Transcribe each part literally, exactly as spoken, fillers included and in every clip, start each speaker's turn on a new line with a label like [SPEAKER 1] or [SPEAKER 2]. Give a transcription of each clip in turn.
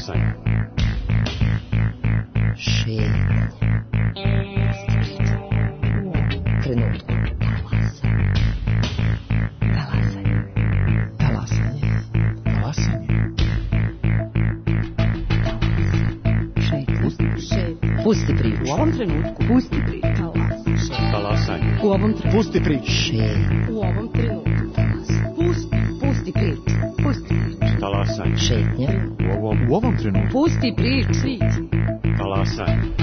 [SPEAKER 1] Talasanje.
[SPEAKER 2] Šetnja. Trenutku. Talasanje. Talasanje. Talasanje. Šetnja. Šetnja. Pusti priču.
[SPEAKER 3] U ovom trenutku.
[SPEAKER 2] Pusti priču.
[SPEAKER 1] Talasanje.
[SPEAKER 3] U ovom trenutku.
[SPEAKER 4] Pusti priču.
[SPEAKER 2] Šetnja.
[SPEAKER 3] U ovom trenutku. Pusti. Pusti priču. Pusti priču.
[SPEAKER 1] Talasanje.
[SPEAKER 2] Šetnja.
[SPEAKER 1] U ovom,
[SPEAKER 4] U ovom trenutku.
[SPEAKER 3] Pusti priču.
[SPEAKER 1] talasanje.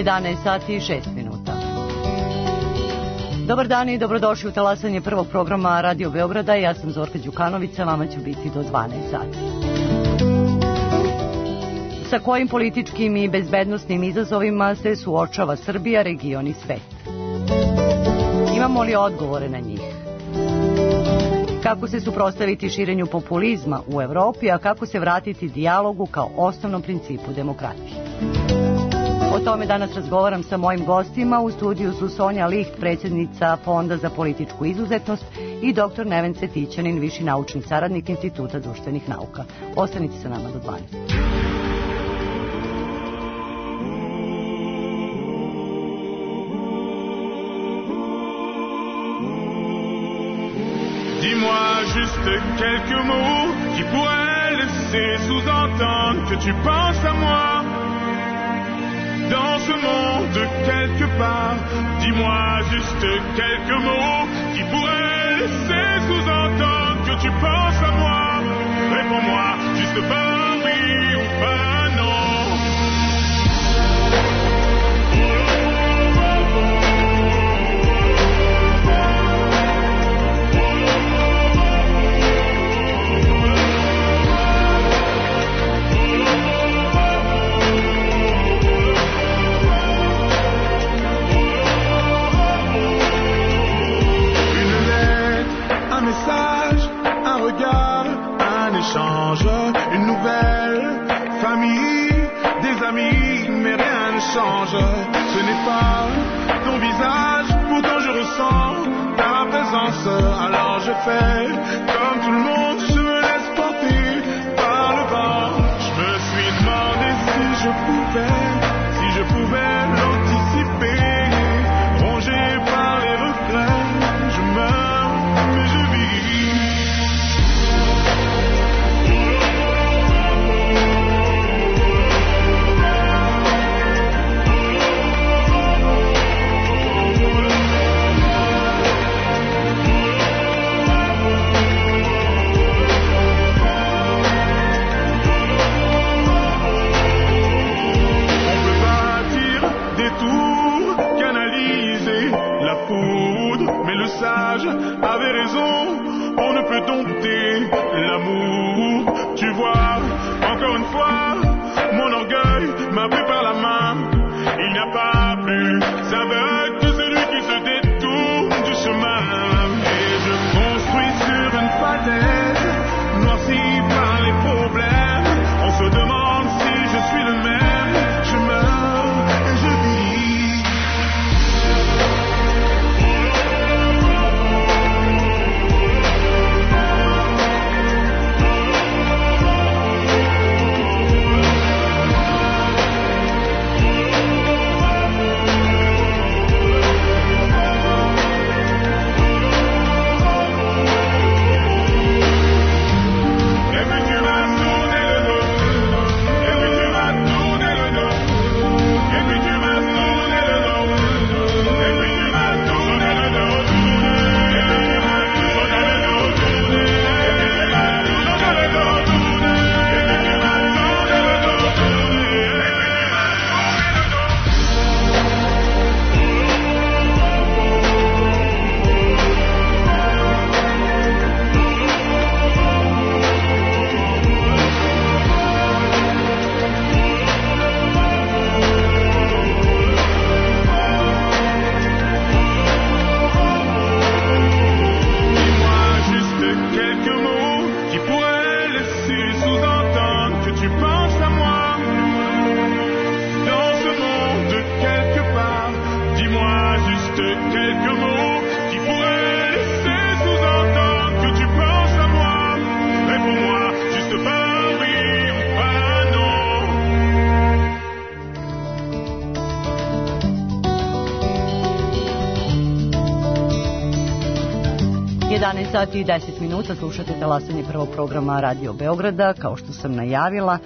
[SPEAKER 5] jedanaest sati i šest minuta. Dobar dan i dobrodošli u talasanje prvog programa Radio Beograda. Ja sam Zorka Đukanović, vama ću biti do dvanaest sati. Sa kojim političkim i bezbednosnim izazovima se suočava Srbija, region i svet? Imamo li odgovore na njih? Kako se suprotstaviti širenju populizma u Evropi, a kako se vratiti dijalogu kao osnovnom principu demokratije? O tome danas razgovaram sa mojim gostima. U studiju su Sonja Liht, predsjednica Fonda za političku izuzetnost, i doktor Neven Cvetićanin, viši naučni saradnik Instituta društvenih nauka. Ostanite sa nama do dvanaest.
[SPEAKER 6] Dis-moi juste quelques mots qui pourraient laisser sous-entendre que tu penses à moi. Dans ce monde quelque part, dis-moi juste quelques mots qui pourraient laisser sous-entendre que tu penses à moi. Réponds-moi juste par oui ou par non. Un regard, un échange, une nouvelle famille, des amis, mais rien ne change. Ce n'est pas ton visage, pourtant je ressens ta présence. Alors je fais comme tout le monde, je me laisse porter par le vent. Je me suis demandé si je pouvais, si je pouvais l'anticiper, rongé par les regrets. Je meurs, mais je vis. Mais le sage avait raison, on ne peut dompter l'amour. Tu vois, encore une fois, mon orgueil m'a pris par la main. Il n'y a pas plus aveugle que celui qui se détourne du chemin. Et je construis sur une falaise, noirci par les problèmes. On se demande si je suis le même. Je meurs et je vis.
[SPEAKER 5] jedanaest sati i deset minuta, slušate talasanje prvog programa Radio Beograda. Kao što sam najavila,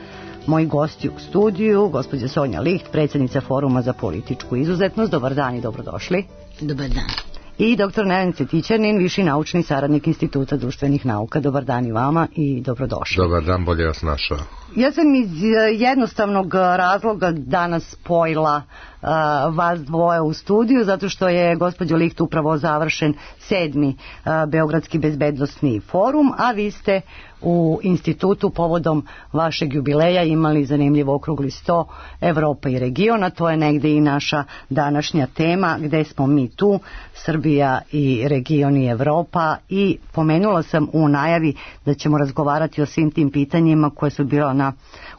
[SPEAKER 5] moji gosti u studiju, gospođa Sonja Liht, predsjednica Foruma za političku izuzetnost. Dobar dan i dobrodošli.
[SPEAKER 2] Dobar dan.
[SPEAKER 5] I doktor Neven Cvetićanin, viši naučni saradnik Instituta društvenih nauka. Dobar dan i vama i dobrodošli.
[SPEAKER 4] Dobar dan, bolje vas našao.
[SPEAKER 5] Ja sam iz jednostavnog razloga danas spojila uh, vas dvoje u studiju, zato što je gospođo Liht upravo završen sedmi uh, Beogradski bezbednosni forum, a vi ste u institutu povodom vašeg jubileja imali zanimljiv okrugli sto Evropa i regiona. To je negde i naša današnja tema, gde smo mi tu, Srbija i region i Evropa, i pomenula sam u najavi da ćemo razgovarati o svim tim pitanjima koje su bila na,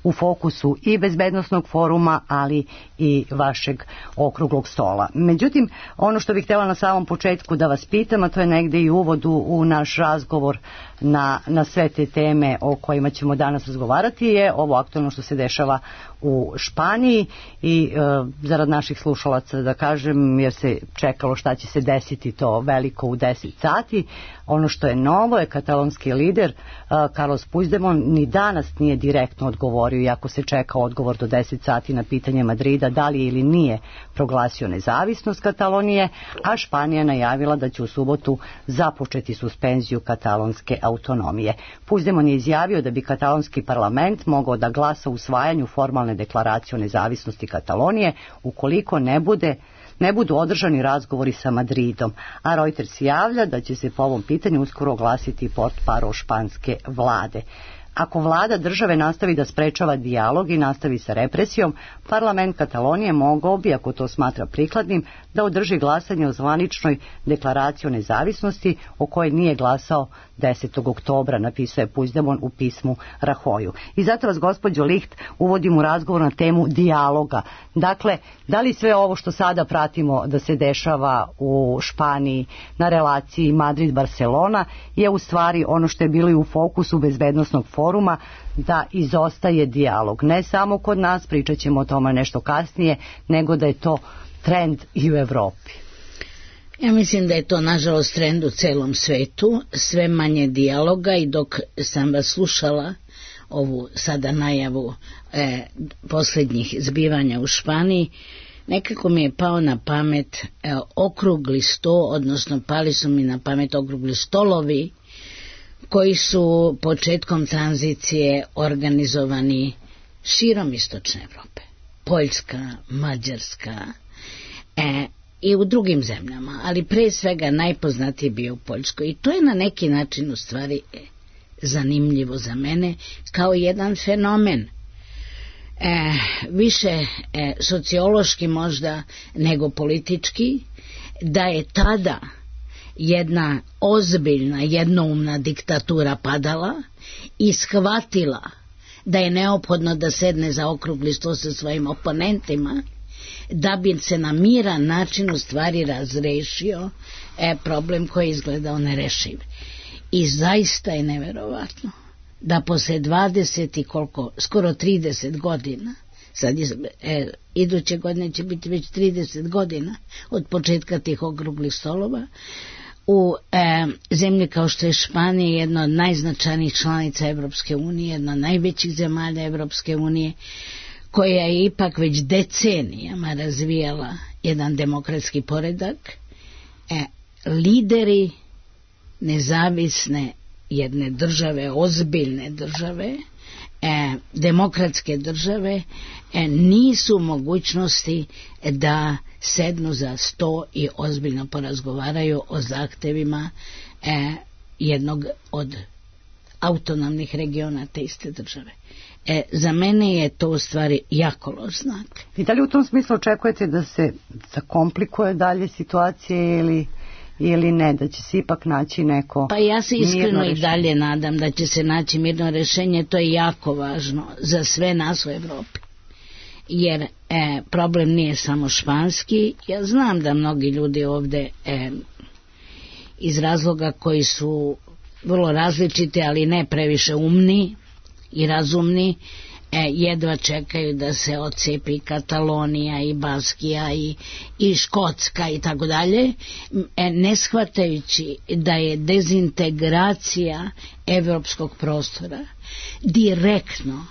[SPEAKER 5] u fokusu i bezbednosnog foruma, ali i vašeg okruglog stola. Međutim, ono što bih htjela na samom početku da vas pitam, a to je negde i uvod u, u naš razgovor na, na sve te teme o kojima ćemo danas razgovarati, je ovo aktualno što se dešava u Španiji i e, zarad naših slušalaca da kažem, jer se čekalo šta će se desiti to veliko u deset sati. Ono što je novo je katalonski lider e, Carlos Puigdemont ni danas nije direktno odgovorio, iako se čeka odgovor do deset sati na pitanje Madrida da li ili nije proglasio nezavisnost Katalonije, a Španija najavila da će u subotu započeti suspenziju katalonske autonomije. Puigdemont je izjavio da bi katalonski parlament mogao da glasa u usvajanju formalne deklaracije o nezavisnosti Katalonije ukoliko ne bude ne budu održani razgovori sa Madridom, a Reuters javlja da će se po ovom pitanju uskoro oglasiti portparol španske vlade. Ako vlada države nastavi da sprečava dijalog i nastavi sa represijom, parlament Katalonije mogao bi, ako to smatra prikladnim, da održi glasanje o zvaničnoj deklaraciji o nezavisnosti o kojoj nije glasao desetog oktobra, napisao je Puigdemont u pismu Rajoyu. I zato vas, gospođo Liht, uvodim u razgovor na temu dijaloga. Dakle, da li sve ovo što sada pratimo da se dešava u Španiji na relaciji Madrid-Barcelona je u stvari ono što je bilo i u fokusu bezbednosnog foruma, da izostaje dijalog. Ne samo kod nas, pričat ćemo o tome nešto kasnije, nego da je to trend i u Evropi.
[SPEAKER 2] Ja mislim da je to nažalost trend u celom svetu, sve manje dijaloga, i dok sam vas slušala ovu sada najavu e, posljednjih zbivanja u Španiji, nekako mi je pao na pamet e, okrugli sto, odnosno pali su mi na pamet okrugli stolovi koji su početkom tranzicije organizovani širom istočne Evrope. Poljska, Mađarska e, i u drugim zemljama, ali pre svega najpoznatiji bio u Poljskoj. I to je na neki način u stvari e, zanimljivo za mene kao jedan fenomen. E, više e, sociološki možda nego politički, da je tada jedna ozbiljna, jednoumna diktatura padala i shvatila da je neophodno da sedne za okrugli sto sa svojim oponentima, da bi se na miran način u stvari razrešio e, problem koji je izgledao nerešiv. I zaista je neverovatno da posle dvadeset i koliko, skoro trideset godina, sad je, e, iduće godine će biti već trideset godina od početka tih okruglih stolova, u e, zemlji kao što je Španija, jedna od najznačajnijih članica Evropske unije, jedna od najvećih zemalja Evropske unije, koja je ipak već decenijama razvijala jedan demokratski poredak, e, lideri nezavisne jedne države, ozbiljne države, e, demokratske države, e, nisu u mogućnosti da sednu za sto i ozbiljno porazgovaraju o zahtevima e, jednog od autonomnih regiona te iste države. E, za mene je to u stvari jako loš znak.
[SPEAKER 5] I da li u tom smislu očekujete da se zakomplikuje dalje situacije ili, ili ne, da će se ipak naći neko
[SPEAKER 2] Pa ja se iskreno
[SPEAKER 5] i
[SPEAKER 2] dalje nadam da će se naći mirno rešenje. To je jako važno za sve nas u Evropi. Jer e, problem nije samo španski. Ja znam da mnogi ljudi ovde e, iz razloga koji su vrlo različiti, ali ne previše umni i razumni, e, jedva čekaju da se odcepi Katalonija i Baskija i, i Škotska i tako dalje, ne shvatajući da je dezintegracija evropskog prostora direktno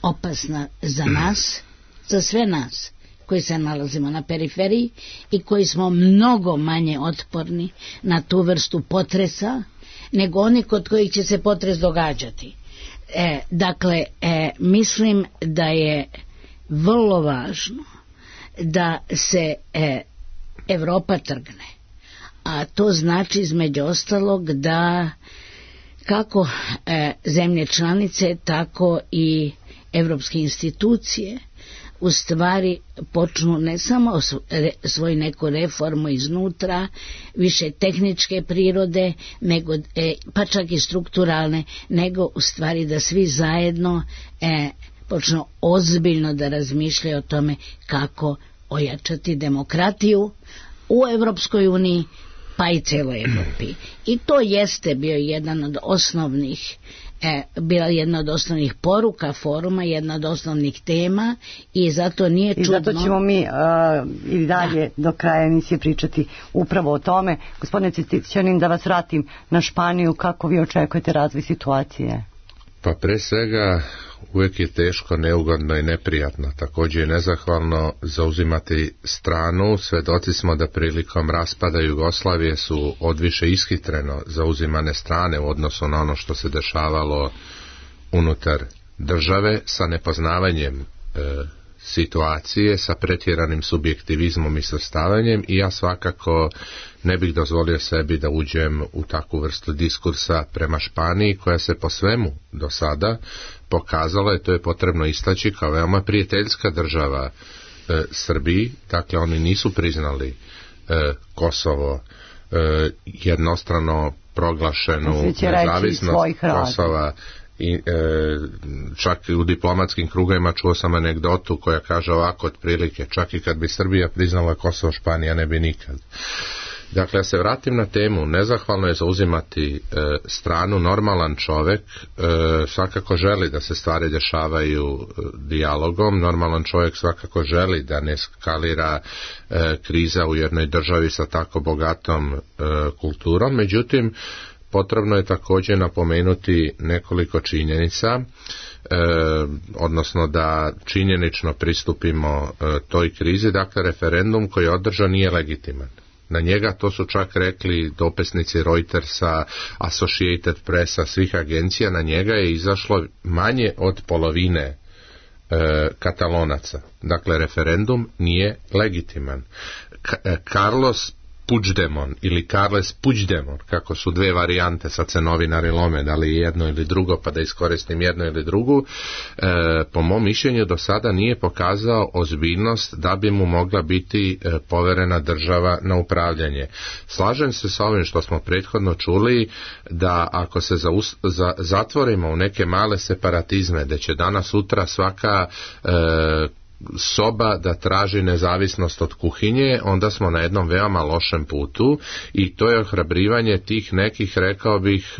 [SPEAKER 2] opasna za nas, za sve nas koji se nalazimo na periferiji i koji smo mnogo manje otporni na tu vrstu potresa nego oni kod kojih će se potres događati. E, dakle, e, mislim da je vrlo važno da se e, Evropa trgne, a to znači između ostalog da kako e, zemlje članice, tako i evropske institucije u stvari počnu ne samo svoju neku reformu iznutra, više tehničke prirode, nego, e, pa čak i strukturalne, nego u stvari da svi zajedno e, počnu ozbiljno da razmišljaju o tome kako ojačati demokratiju u Evropskoj uniji, pa i celoj Evropi. I to jeste bio jedan od osnovnih E, bila jedna od osnovnih poruka foruma, jedna od osnovnih tema i zato nije čudno.
[SPEAKER 5] I zato ćemo mi uh, i dalje da. do kraja emisije pričati upravo o tome. Gospodine Cvetićanin, da vas vratim na Španiju, kako vi očekujete razvoj situacije?
[SPEAKER 4] Pa pre svega uvijek je teško, neugodno i neprijatno, također i nezahvalno zauzimati stranu. Svedoci smo da prilikom raspada Jugoslavije su odviše ishitreno zauzimane strane u odnosu na ono što se dešavalo unutar države, sa nepoznavanjem e, situacije, sa pretjeranim subjektivizmom i svrstavanjem, i ja svakako ne bih dozvolio sebi da uđem u takvu vrstu diskursa prema Španiji, koja se po svemu do sada pokazala, i to je potrebno istaći, kao veoma prijateljska država e, Srbiji. Dakle, oni nisu priznali e, Kosovo, e, jednostrano proglašenu nezavisnost Kosova. I, e, čak u diplomatskim krugovima čuo sam anegdotu koja kaže ovako otprilike: čak i kad bi Srbija priznala Kosovo, Španija ne bi nikad. Dakle, ja se vratim na temu. Nezahvalno je zauzimati e, stranu. Normalan čovjek e, svakako želi da se stvari dešavaju e, dijalogom. Normalan čovjek svakako želi da ne eskalira e, kriza u jednoj državi sa tako bogatom e, kulturom. Međutim, potrebno je također napomenuti nekoliko činjenica, e, odnosno da činjenično pristupimo e, toj krizi. Dakle, referendum koji je održan nije legitiman. Na njega, to su čak rekli dopisnici Reutersa, Associated Pressa, svih agencija, na njega je izašlo manje od polovine e, Katalonaca. Dakle, referendum nije legitiman. Ka- Carlos Puigdemont ili Carles Puigdemont, kako su dve varijante, sad se novinari lome da li jedno ili drugo, pa da iskoristim jedno ili drugu, e, po mom mišljenju do sada nije pokazao ozbiljnost da bi mu mogla biti e, poverena država na upravljanje. Slažem se sa ovim što smo prethodno čuli, da ako se za, za, zatvorimo u neke male separatizme, da će danas sutra svaka e, soba da traži nezavisnost od kuhinje, onda smo na jednom veoma lošem putu, i to je ohrabrivanje tih nekih, rekao bih,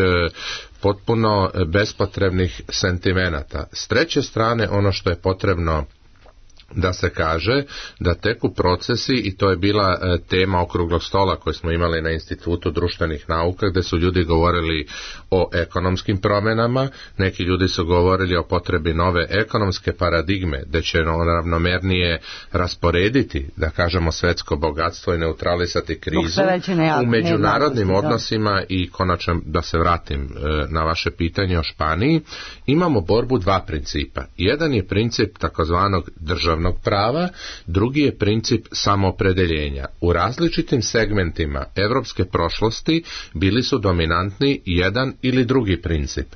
[SPEAKER 4] potpuno bespotrebnih sentimenata. S treće strane, ono što je potrebno da se kaže, da teku procesi, i to je bila e, tema okruglog stola koji smo imali na Institutu društvenih nauka, gdje su ljudi govorili o ekonomskim promjenama, neki ljudi su govorili o potrebi nove ekonomske paradigme, gdje će ravnomernije rasporediti, da kažemo, svjetsko bogatstvo i neutralisati krizu u međunarodnim odnosima. I konačno, da se vratim e, na vaše pitanje o Španiji, imamo borbu dva principa. Jedan je princip takozvanog državnog prava, drugi je princip samoopredeljenja. U različitim segmentima evropske prošlosti bili su dominantni jedan ili drugi princip.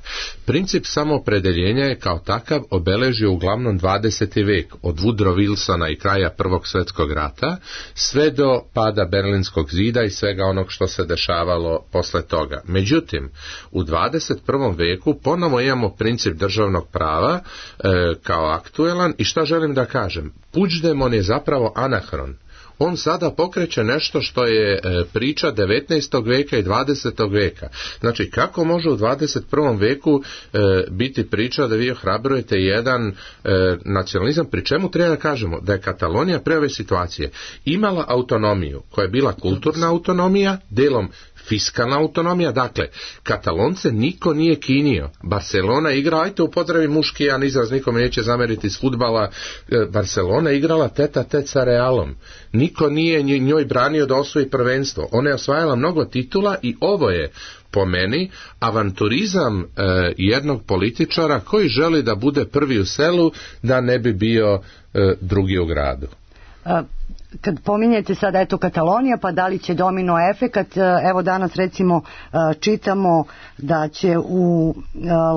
[SPEAKER 4] Princip samoopredeljenja je kao takav obeležio uglavnom dvadeseti vijek, od Woodrow Wilsona i kraja Prvog svjetskog rata sve do pada Berlinskog zida i svega onog što se dešavalo posle toga. Međutim, u dvadeset prvom vijeku ponovo imamo princip državnog prava e, kao aktuelan, i šta želim da kažem? Puigdemont je zapravo anahron. on sada pokreće nešto što je priča devetnaestog veka i dvadesetog veka. Znači, kako može u dvadeset prvom veku biti priča da vi ohrabrujete jedan nacionalizam, pri čemu treba da kažemo da je Katalonija pre ove situacije imala autonomiju koja je bila kulturna autonomija, delom fiskalna autonomija, dakle, Katalonce niko nije kinio. Barcelona igra, ajte upotrebi muški jedan izraz, nikome neće zameriti iz fudbala, Barcelona igrala teta tet sa Realom. Niko nije njoj branio da osvoji prvenstvo. Ona je osvajala mnogo titula i ovo je, po meni, avanturizam e, jednog političara koji želi da bude prvi u selu, da ne bi bio e, drugi u gradu.
[SPEAKER 5] Kad pominjete sada eto Katalonija, pa da li će domino efekat, evo danas recimo čitamo da će u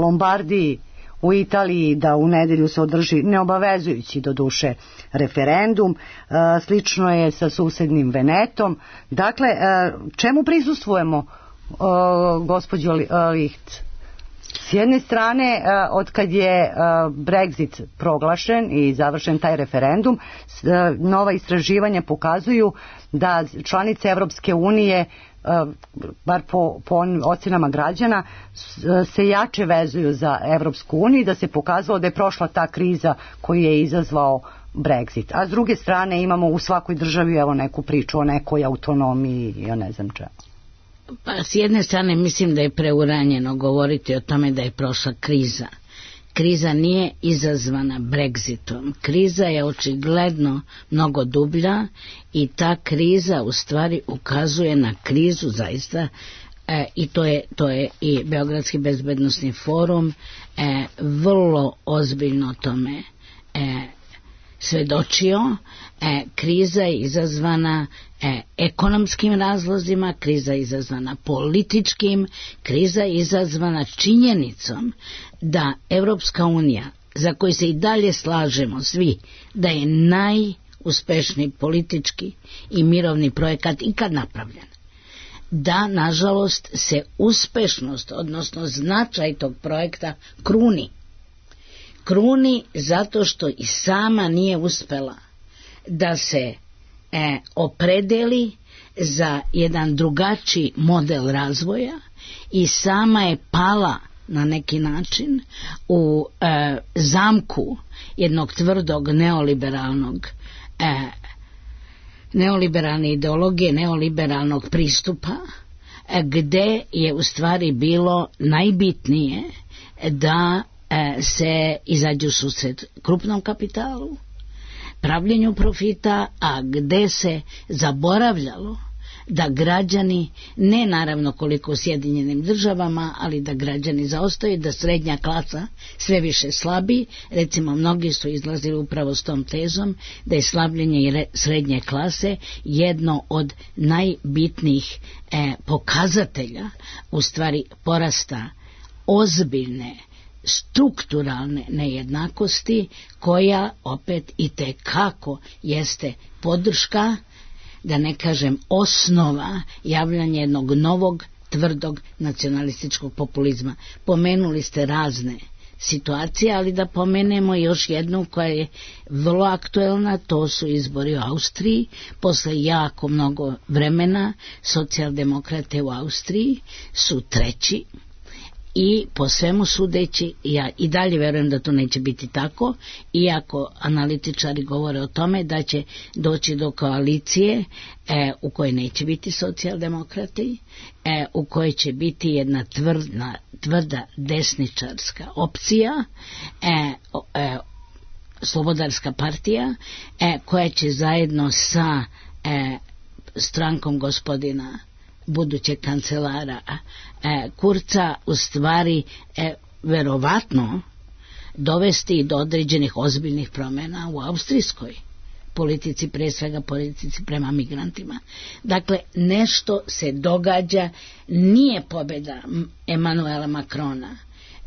[SPEAKER 5] Lombardiji u Italiji da u nedelju se održi neobavezujući do duše referendum, slično je sa susednim Venetom. Dakle, čemu prisustvujemo, gospođo Licht? S jedne strane, od kad je Brexit proglašen i završen taj referendum, nova istraživanja pokazuju da članice Evropske unije, bar po, po ocenama građana, se jače vezuju za Evropsku uniju i da se pokazalo da je prošla ta kriza koju je izazvao Brexit. A s druge strane imamo u svakoj državi evo neku priču o nekoj autonomiji, ja ne znam čemu.
[SPEAKER 2] Pa s jedne strane mislim da je preuranjeno govoriti o tome da je prošla kriza. Kriza nije izazvana Brexitom. Kriza je očigledno mnogo dublja i ta kriza u stvari ukazuje na krizu zaista, e, i to je, to je i Beogradski bezbednosni forum e, vrlo ozbiljno tome e, svedočio. E, kriza je izazvana e, ekonomskim razlozima, kriza je izazvana političkim, kriza je izazvana činjenicom da Evropska unija, za koju se i dalje slažemo svi, da je najuspešniji politički i mirovni projekat ikad napravljen, da nažalost se uspešnost, odnosno značaj tog projekta kruni. Kruni zato što i sama nije uspela da se e, opredeli za jedan drugačiji model razvoja i sama je pala na neki način u e, zamku jednog tvrdog neoliberalnog e, neoliberalne ideologije, neoliberalnog pristupa, e, gde je u stvari bilo najbitnije da e, se izađu susret krupnom kapitalu, pravljenju profita, a gde se zaboravljalo da građani, ne naravno koliko u Sjedinjenim državama, ali da građani zaostaju, da srednja klasa sve više slabi. Recimo, mnogi su izlazili upravo s tom tezom da je slabljenje srednje klase jedno od najbitnijih e, pokazatelja, u stvari porasta ozbiljne strukturalne nejednakosti, koja opet i tekako jeste podrška, da ne kažem osnova javljanja jednog novog tvrdog nacionalističkog populizma. Pomenuli ste razne situacije, ali da pomenemo još jednu koja je vrlo aktuelna, to su izbori u Austriji. Posle jako mnogo vremena socijaldemokrate u Austriji su treći. I po svemu sudeći, ja i dalje verujem da to neće biti tako, iako analitičari govore o tome da će doći do koalicije e, u kojoj neće biti socijaldemokrati, e, u kojoj će biti jedna tvrdna, tvrda desničarska opcija, e, e, slobodarska partija, e, koja će zajedno sa e, strankom gospodina budućeg kancelara e, Kurca u stvari e, verovatno dovesti do određenih ozbiljnih promjena u austrijskoj politici, pre svega politici prema migrantima. Dakle, nešto se događa, nije pobjeda Emanuela Macrona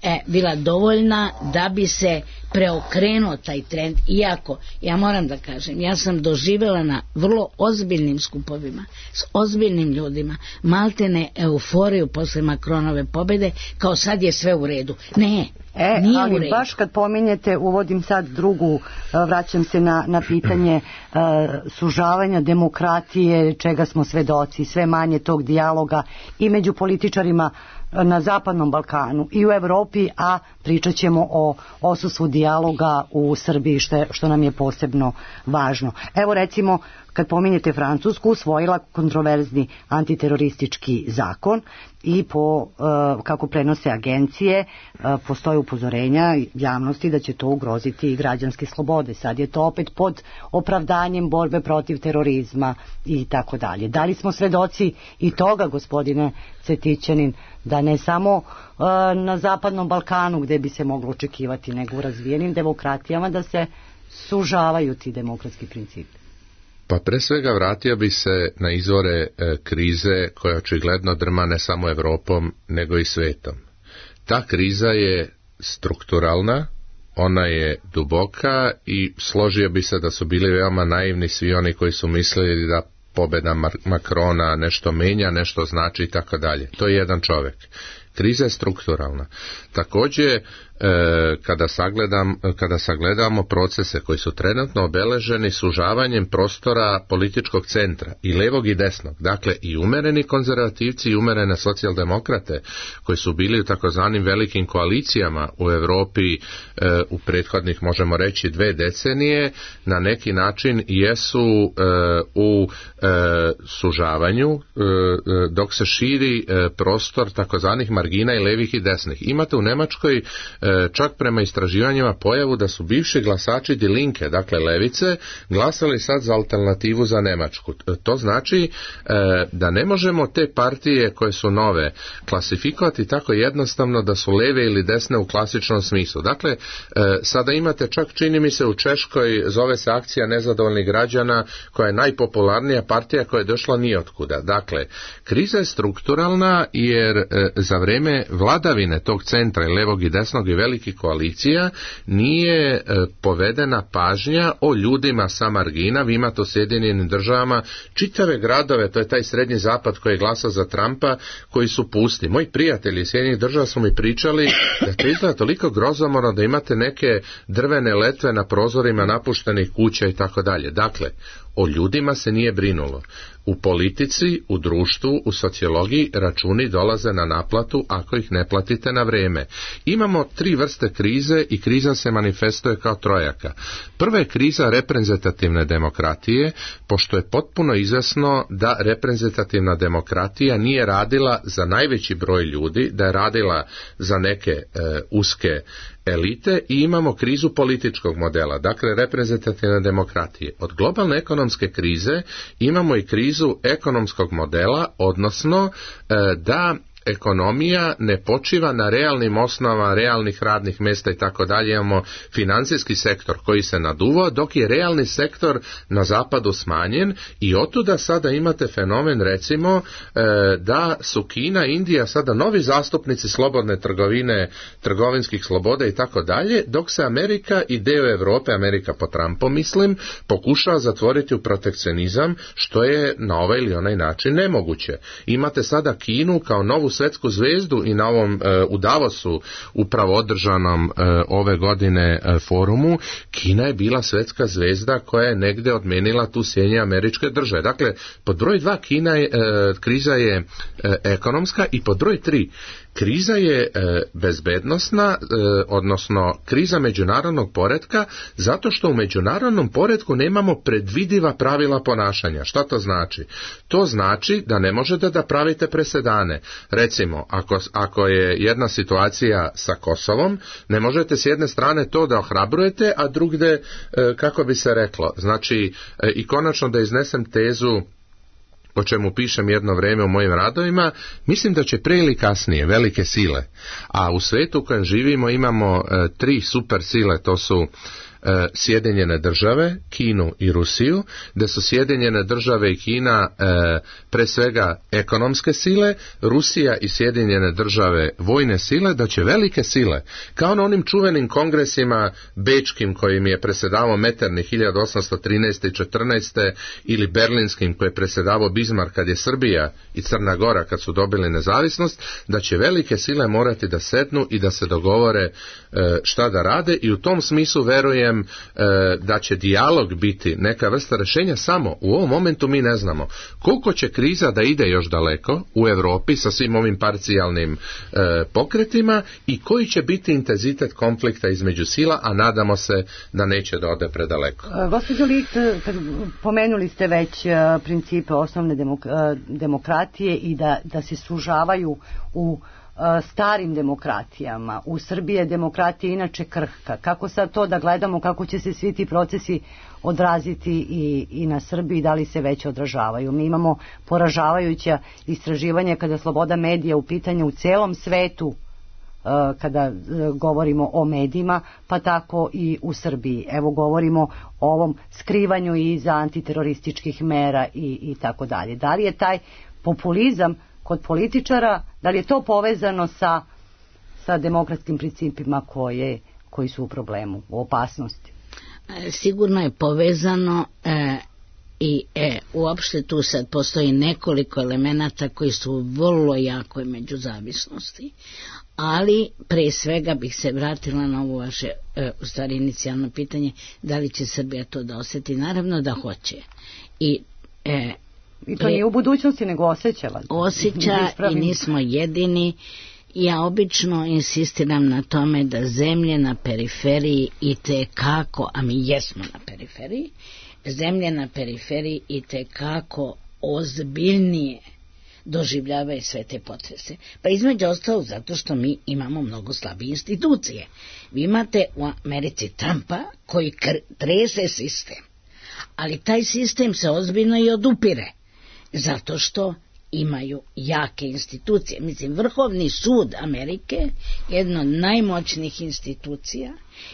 [SPEAKER 2] e, bila dovoljna da bi se preokrenuo taj trend, iako ja moram da kažem, ja sam doživjela na vrlo ozbiljnim skupovima s ozbiljnim ljudima maltene euforiju posle Macronove pobede, kao sad je sve u redu. Ne,
[SPEAKER 5] E,
[SPEAKER 2] nije
[SPEAKER 5] ali
[SPEAKER 2] u redu.
[SPEAKER 5] baš kad pominjete, uvodim sad drugu, vraćam se na, na pitanje uh, sužavanja demokratije, čega smo svedoci, sve manje tog dijaloga i među političarima na Zapadnom Balkanu i u Evropi, a pričat ćemo o odsustvu dijaloga u Srbiji, što, što nam je posebno važno. Evo recimo, kad pominjete Francusku, usvojila kontroverzni antiteroristički zakon i po, uh, kako prenose agencije, uh, postoje upozorenja javnosti da će to ugroziti i građanske slobode. Sad je to opet pod opravdanjem borbe protiv terorizma i tako dalje. Da li smo svedoci i toga, gospodine Cvetićanin, da ne samo uh, na Zapadnom Balkanu gde bi se moglo očekivati, nego u razvijenim demokratijama da se sužavaju ti demokratski principi?
[SPEAKER 4] Pa pre svega vratio bi se na izvore e, krize koja očigledno drma ne samo Evropom nego i svetom. Ta kriza je strukturalna, ona je duboka i složio bi se da su bili veoma naivni svi oni koji su mislili da pobeda Macrona nešto menja, nešto znači i tako dalje. To je jedan čovjek. Kriza je strukturalna. Također, e, kada, sagledam, kada sagledamo procese koji su trenutno obeleženi sužavanjem prostora političkog centra, i levog i desnog, dakle i umereni konzervativci i umerene socijaldemokrate, koji su bili u takozvanim velikim koalicijama u Europi e, u prethodnih, možemo reći, dve decenije, na neki način jesu e, u e, sužavanju, e, dok se širi e, prostor takozvanih margina i levih i desnih. Imate u Nemačkoj e, čak prema istraživanjima pojavu da su bivši glasači Die Linke, dakle levice, glasali sad za alternativu za Nemačku. E, to znači e, da ne možemo te partije koje su nove klasifikovati tako jednostavno da su leve ili desne u klasičnom smislu. Dakle, e, sada imate čak, čini mi se, u Češkoj, zove se Akcija nezadovoljnih građana, koja je najpopularnija partija koja je došla nijotkuda. Dakle, kriza je strukturalna jer e, za vreme vladavine tog centra i levog i desnog i velikih koalicija nije e, povedena pažnja o ljudima sa margina. Vi imate u Sjedinjenim državama čitave gradove, to je taj srednji zapad koji je glasao za Trumpa, koji su pusti. Moji prijatelji iz Sjedinjenih država su mi pričali da to izgleda toliko grozomorno da imate neke drvene letve na prozorima napuštenih kuća i tako dalje. Dakle, o ljudima se nije brinulo. U politici, u društvu, u sociologiji računi dolaze na naplatu ako ih ne platite na vrijeme. Imamo tri vrste krize i kriza se manifestuje kao trojaka. Prva je kriza reprezentativne demokratije, pošto je potpuno izvesno da reprezentativna demokratija nije radila za najveći broj ljudi, da je radila za neke e, uske elite, i imamo krizu političkog modela, dakle reprezentativne demokratije. Od globalne ekonomske krize imamo i krizu ekonomskog modela, odnosno e, da ekonomija ne počiva na realnim osnovama realnih radnih mjesta i tako dalje. Imamo financijski sektor koji se naduvao, dok je realni sektor na zapadu smanjen, i otuda sada imate fenomen, recimo, da su Kina i Indija sada novi zastupnici slobodne trgovine, trgovinskih sloboda i tako dalje, dok se Amerika i dio Europe, Amerika po Trumpu mislim, pokušava zatvoriti u protekcionizam, što je na ovaj ili onaj način nemoguće. Imate sada Kinu kao novu svjetsku zvezdu i na ovom e, u Davosu upravo održanom e, ove godine e, forumu, Kina je bila svjetska zvezda koja je negde odmenila tu Sjedinjene Američke Države. Dakle, pod broj dva Kina je, e, kriza je e, ekonomska, i pod broj tri kriza je e, bezbednosna, e, odnosno kriza međunarodnog poretka, zato što u međunarodnom poretku nemamo predvidiva pravila ponašanja. Šta to znači? To znači da ne možete da pravite presedane. Recimo, ako, ako je jedna situacija sa Kosovom, ne možete s jedne strane to da ohrabrujete, a drugde, e, kako bi se reklo, znači, e, i konačno da iznesem tezu o čemu pišem jedno vrijeme u mojim radovima, mislim da će pre ili kasnije velike sile, a u svijetu u kojem živimo imamo e, tri super sile, to su e, Sjedinjene države, Kinu i Rusiju, da su Sjedinjene države i Kina e, pre svega ekonomske sile, Rusija i Sjedinjene države vojne sile, da će velike sile, kao na onim čuvenim kongresima bečkim kojim je presedavao Metternich hiljadu osamsto trinaeste i četrnaeste ili berlinskim koje je presedavao Bismarck kad je Srbija i Crna Gora kad su dobili nezavisnost, da će velike sile morati da sednu i da se dogovore e, šta da rade, i u tom smislu verujem e, da će dijalog biti neka vrsta rešenja. Samo u ovom momentu mi ne znamo koliko će kriza da ide još daleko u Evropi sa svim ovim parcijalnim e, pokretima i koji će biti intenzitet konflikta između sila, a nadamo se da neće da ode predaleko.
[SPEAKER 5] Gospođo Licht, pomenuli ste već principe osnovne demok demokratije i da, da se sužavaju u starim demokratijama. U Srbiji je demokratija inače krhka. Kako sad to da gledamo, kako će se svi ti procesi odraziti i, i na Srbiji, da li se već odražavaju? Mi imamo poražavajuća istraživanja kada sloboda medija u pitanju u celom svetu, kada govorimo o medijima, pa tako i u Srbiji. Evo govorimo o ovom skrivanju iza antiterorističkih mera i, i tako dalje. Da li je taj populizam kod političara, da li je to povezano sa, sa demokratskim principima koje, koji su u problemu, u opasnosti?
[SPEAKER 2] Sigurno je povezano e, i e, uopšte tu sad postoji nekoliko elemenata koji su vrlo jakoj međuzavisnosti. Ali pre svega bih se vratila na ovo vaše e, u stvari inicijalno pitanje, da li će Srbija to da osjeti. Naravno da hoće. I, e,
[SPEAKER 5] I to nije u budućnosti, nego osjećava.
[SPEAKER 2] Osjeća i nismo jedini. Ja obično insistiram na tome da zemlje na periferiji i te kako, a mi jesmo na periferiji, zemlje na periferiji i te kako ozbiljnije doživljavaju sve te potrese. Pa između ostalog zato što mi imamo mnogo slabije institucije. Vi imate u Americi Trumpa koji trese sistem, ali taj sistem se ozbiljno i odupire, zato što imaju jake institucije. Mislim, Vrhovni sud Amerike je jedna od najmoćnijih institucija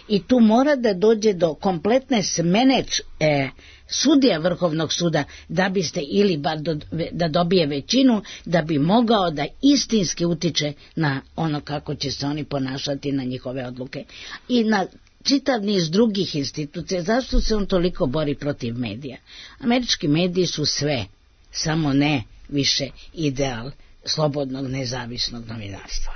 [SPEAKER 2] i tu mora da dođe do kompletne smene e, sudija Vrhovnog suda da biste ili bar do, da dobije većinu, da bi mogao da istinski utiče na ono kako će se oni ponašati, na njihove odluke i na čitav niz drugih institucija. Zašto se on toliko bori protiv medija? Američki mediji su sve, samo ne više ideal slobodnog nezavisnog novinarstva.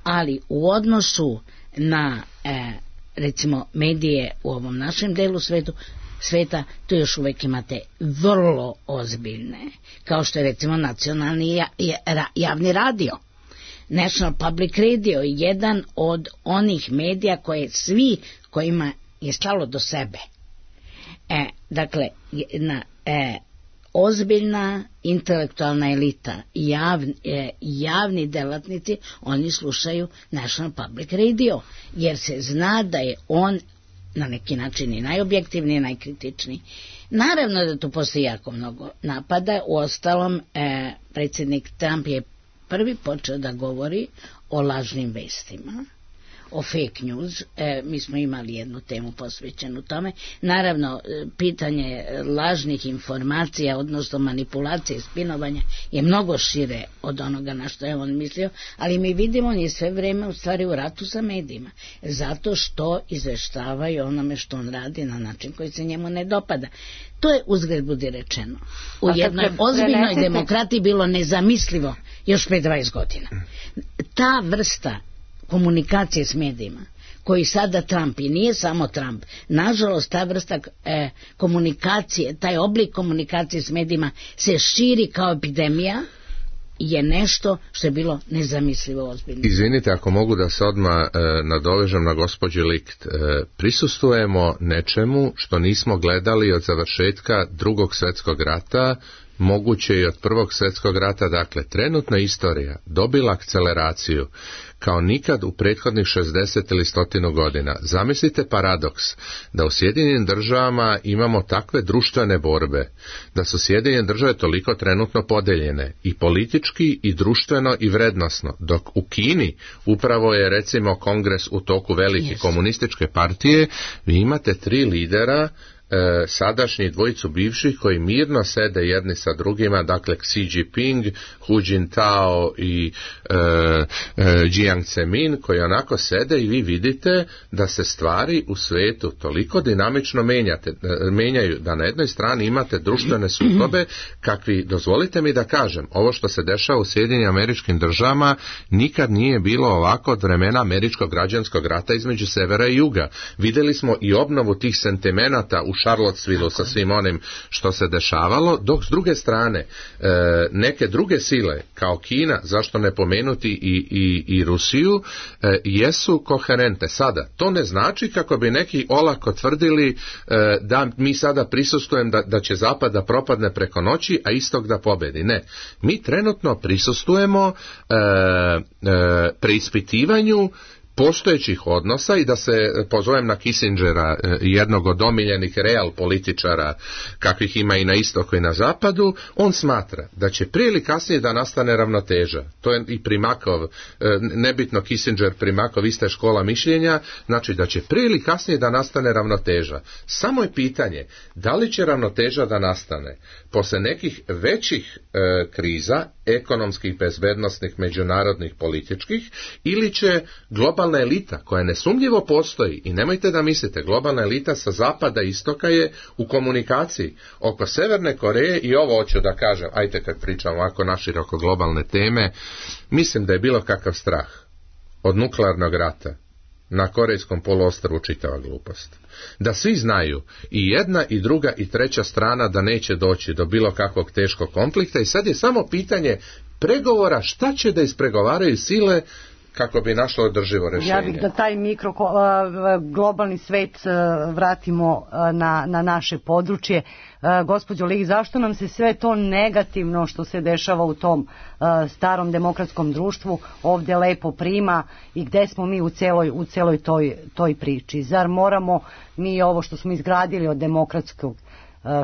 [SPEAKER 2] Ali u odnosu na e, recimo medije u ovom našem delu svetu, sveta, to još uvijek imate vrlo ozbiljne, kao što je recimo nacionalni ja, ja, javni radio. National Public Radio je jedan od onih medija koje svi kojima je stalo do sebe. E, dakle, na e, ozbiljna intelektualna elita, javni, eh, javni delatnici, oni slušaju National Public Radio, jer se zna da je on na neki način i najobjektivniji i najkritičniji. Naravno da tu postoji jako mnogo napada, uostalom eh, predsjednik Trump je prvi počeo da govori o lažnim vestima, o fake news. E, mi smo imali jednu temu posvećenu tome. Naravno, pitanje lažnih informacija, odnosno manipulacije i spinovanja je mnogo šire od onoga na što je on mislio, ali mi vidimo on je sve vreme u stvari u ratu sa medijima, zato što izveštavaju onome što on radi na način koji se njemu ne dopada. To je uzgred budi rečeno u jednoj ozbiljnoj demokratiji bilo nezamislivo još pre dvadeset godina. Ta vrsta komunikacije s medijima koji sada Trump, i nije samo Trump, nažalost ta vrsta e, komunikacije, taj oblik komunikacije s medijima se širi kao epidemija, je nešto što je bilo nezamislivo ozbiljno.
[SPEAKER 4] Izvinite, ako mogu da se odmah e, nadovežem na gospođu Licht, e, prisustujemo nečemu što nismo gledali od završetka Drugog svjetskog rata moguće i od Prvog svjetskog rata. Dakle, trenutna istorija dobila akceleraciju kao nikad u prethodnih šezdeset ili stotinu godina. Zamislite paradoks da u Sjedinjenim državama imamo takve društvene borbe, da su Sjedinjene države toliko trenutno podeljene i politički i društveno i vrednosno, dok u Kini upravo je recimo kongres u toku velike yes. komunističke partije, vi imate tri lidera, E, sadašnji dvojicu bivših koji mirno sede jedni sa drugima, dakle Xi Jinping, Hu Jintao i e, e, Jiang Zemin, koji onako sede i vi vidite da se stvari u svijetu toliko dinamično menjate, e, menjaju, da na jednoj strani imate društvene sukobe kakvi, dozvolite mi da kažem, ovo što se dešava u Sjedinjenim Američkim Državama nikad nije bilo ovako od vremena američkog građanskog rata između severa i juga. Vidjeli smo i obnovu tih sentimenata u Charlottesville sa svim onim što se dešavalo, dok s druge strane e, neke druge sile kao Kina, zašto ne pomenuti i, i, i Rusiju, e, jesu koherente. Sada, to ne znači kako bi neki olako tvrdili e, da mi sada prisustvujemo da, da će Zapad da propadne preko noći, a Istok da pobedi. Ne. Mi trenutno prisustvujemo e, e, preispitivanju postojećih odnosa i da se pozovem na Kissingera, jednog od omiljenih real političara kakvih ima i na istoku i na zapadu, on smatra da će prije ili kasnije da nastane ravnoteža. To je i Primakov, nebitno Kissinger, Primakov, ista škola mišljenja, znači da će prije ili kasnije da nastane ravnoteža. Samo je pitanje da li će ravnoteža da nastane posle nekih većih e, kriza, ekonomskih, bezbednosnih, međunarodnih, političkih, ili će globalna elita, koja nesumnjivo postoji, i nemojte da mislite, globalna elita sa zapada i istoka je u komunikaciji oko Severne Koreje, i ovo hoću da kažem, ajte kad pričam ovako naširoko globalne teme, mislim da je bilo kakav strah od nuklearnog rata na Korejskom poluostrvu čitava glupost. Da svi znaju, i jedna i druga i treća strana, da neće doći do bilo kakvog teškog konflikta, i sad je samo pitanje pregovora šta će da ispregovaraju sile kako bi našlo održivo rješenje.
[SPEAKER 5] Ja bih da taj mikro globalni svet vratimo na, na naše područje. Gospođo Lig, zašto nam se sve to negativno što se dešava u tom starom demokratskom društvu ovdje lepo prima i gde smo mi u celoj, u celoj toj, toj priči? Zar moramo mi ovo što smo izgradili od demokratskog,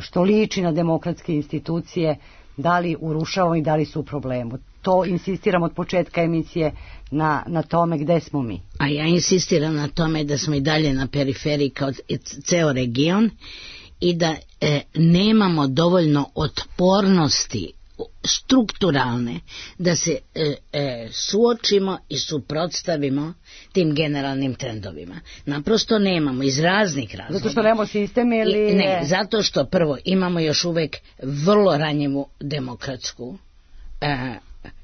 [SPEAKER 5] što liči na demokratske institucije, da li urušavamo i da li su u problemu? To insistiram od početka emisije na, na tome gde smo mi.
[SPEAKER 2] A ja insistiram na tome da smo i dalje na periferiji kao ceo region i da e, nemamo dovoljno otpornosti strukturalne da se e, e, suočimo i suprotstavimo tim generalnim trendovima. Naprosto nemamo iz raznih razloga.
[SPEAKER 5] Zato što nemamo sistem ili...
[SPEAKER 2] I, ne, zato što prvo imamo još uvek vrlo ranjivu demokratsku e,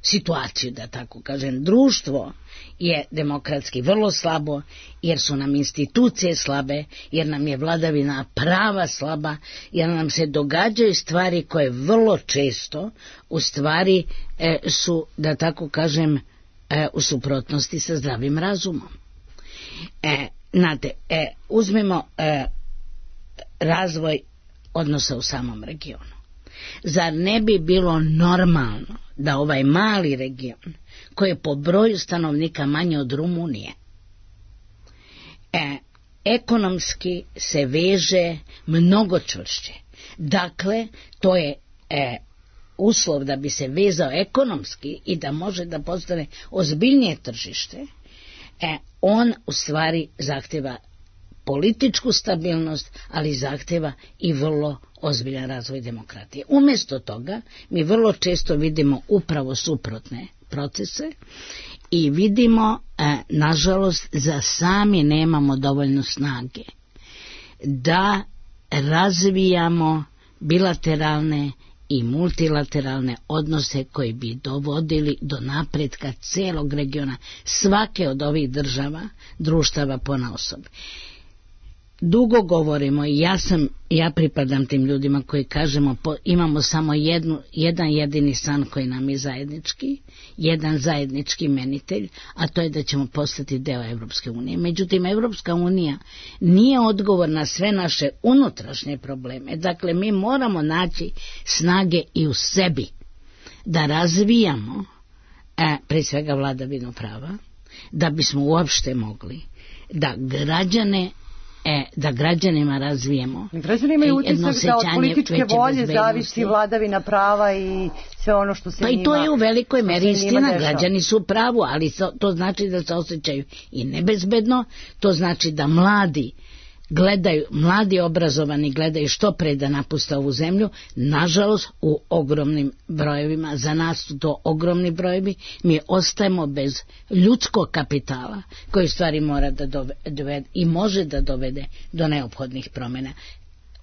[SPEAKER 2] situaciju, da tako kažem. Društvo je demokratski vrlo slabo, jer su nam institucije slabe, jer nam je vladavina prava slaba, jer nam se događaju stvari koje vrlo često u stvari e, su, da tako kažem, e, u suprotnosti sa zdravim razumom. E, znate, e, uzmemo e, razvoj odnosa u samom regionu. Zar ne bi bilo normalno da ovaj mali region, koji je po broju stanovnika manje od Rumunije, e, ekonomski se veže mnogo čvršće. Dakle, to je e, uslov da bi se vezao ekonomski i da može da postane ozbiljnije tržište, e, on u stvari zahteva političku stabilnost, ali zahteva i vrlo ozbiljan razvoj demokratije. Umjesto toga mi vrlo često vidimo upravo suprotne procese i vidimo, e, nažalost, za sami nemamo dovoljno snage da razvijamo bilateralne i multilateralne odnose koji bi dovodili do napretka celog regiona, svake od ovih država, društava ponaosob. dugo govorimo i ja sam, ja pripadam tim ljudima koji kažemo po, imamo samo jednu, jedan jedini san koji nam je zajednički, jedan zajednički menitelj, a to je da ćemo postati deo Evropske unije. Međutim, Evropska unija nije odgovor na sve naše unutrašnje probleme. Dakle, mi moramo naći snage i u sebi da razvijamo e, pre svega vladavinu prava, da bismo uopšte mogli da građane E, da građanima razvijemo.
[SPEAKER 5] Građani imaju utisak da od političke volje zavisi vladavina prava i sve ono što se
[SPEAKER 2] pa
[SPEAKER 5] njima...
[SPEAKER 2] Pa i to je u velikoj meri istina, građani su u pravu, ali to, to znači da se osjećaju i nebezbedno, to znači da mladi gledaju, mladi obrazovani gledaju što pre da napuste ovu zemlju, nažalost u ogromnim brojevima, za nas su to ogromni brojevi, mi ostajemo bez ljudskog kapitala koji stvari mora da dovede i može da dovede do neophodnih promjena.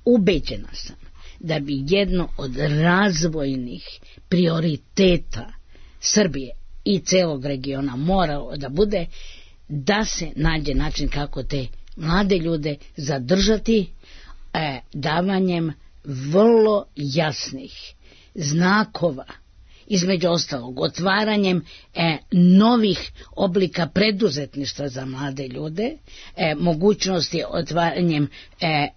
[SPEAKER 2] Ubeđena sam da bi jedno od razvojnih prioriteta Srbije i celog regiona moralo da bude da se nađe način kako te mlade ljude zadržati e, davanjem vrlo jasnih znakova, između ostalog otvaranjem e, novih oblika preduzetništva za mlade ljude, e, mogućnosti otvaranjem e,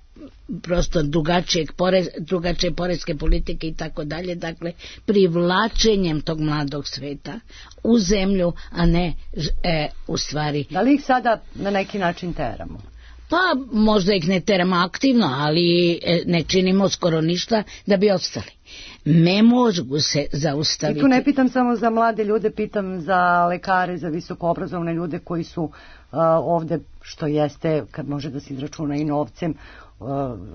[SPEAKER 2] prosto drugačijeg porez, drugačije poreske politike i tako dalje, dakle privlačenjem tog mladog sveta u zemlju, a ne e, u stvari.
[SPEAKER 5] Da li ih sada na neki način teramo?
[SPEAKER 2] Pa možda ih ne teramo aktivno, ali e, ne činimo skoro ništa da bi ostali. Ne mogu se zaustaviti.
[SPEAKER 5] I tu ne pitam samo za mlade ljude, pitam za lekare, za visokoobrazovne ljude koji su uh, ovde, što jeste, kad može da se izračuna i novcem,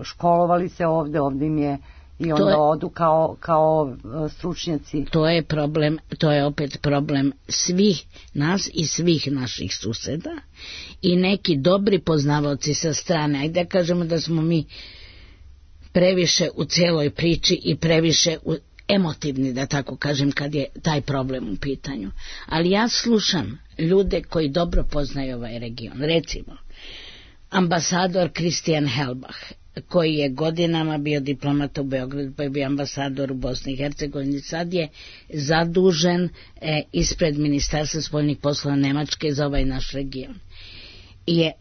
[SPEAKER 5] školovali se ovde, ovde im je i onda je, odu kao, kao stručnjaci.
[SPEAKER 2] To je problem, to je opet problem svih nas i svih naših suseda i neki dobri poznavaoci sa strane. Ajde da kažemo da smo mi previše u cijeloj priči i previše u, emotivni, da tako kažem, kad je taj problem u pitanju. Ali ja slušam ljude koji dobro poznaju ovaj region. Recimo, ambasador Christian Helbach, koji je godinama bio diplomat u Beogradu, pa je bio ambasador u Bosni i Hercegovini, sad je zadužen e, ispred Ministarstva spoljnih poslova Nemačke za ovaj naš region. I je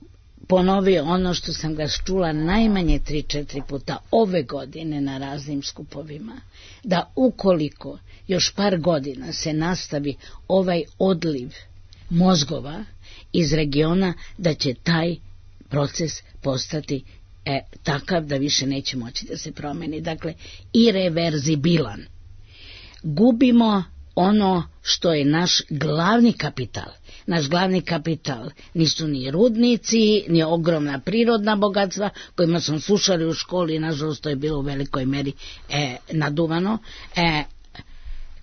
[SPEAKER 2] ponovio ono što sam ga čula najmanje tri četiri puta ove godine na raznim skupovima, da ukoliko još par godina se nastavi ovaj odliv mozgova iz regiona, da će taj proces postati e, takav da više neće moći da se promeni. Dakle, irreverzibilan. Gubimo ono što je naš glavni kapital. Naš glavni kapital nisu ni rudnici, ni ogromna prirodna bogatstva kojima smo slušali u školi, nažalost to je bilo u velikoj meri e, naduvano. E,